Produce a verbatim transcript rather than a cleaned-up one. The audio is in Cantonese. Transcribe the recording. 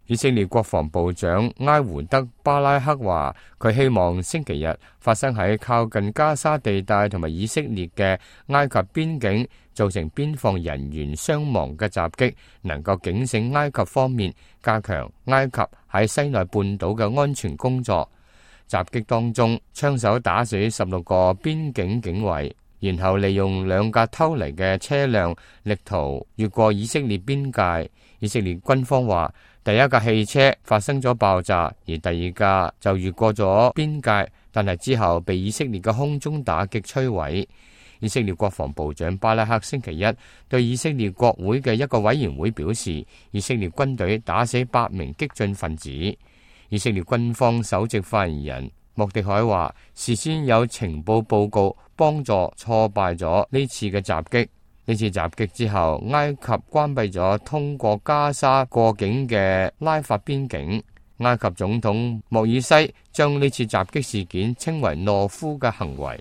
以色列國防部長埃胡德巴拉克話，佢希望星期日發生喺靠近加沙地帶同埋以色列嘅埃及邊境造成邊防人員傷亡嘅襲擊，能夠警醒埃及方面加強埃及喺西奈半島嘅安全工作。襲擊當中，槍手打死十六個邊境警衛，然後利用兩架偷嚟嘅車輛力圖越過以色列邊界。以色列軍方話，第一架汽車發生咗爆炸，而第二架就越過咗邊界，但係之後被以色列嘅空中打擊摧毀。以色列國防部長巴拉克星期一對以色列國會嘅一個委員會表示，以色列軍隊打死八名激進分子。以色列軍方首席發言人莫迪凱話，事先有情報報告幫助挫敗咗呢次嘅襲擊。呢次襲擊之後，埃及關閉咗通過加沙過境嘅拉法邊境。埃及總統莫爾西將呢次襲擊事件稱為懦夫嘅行為。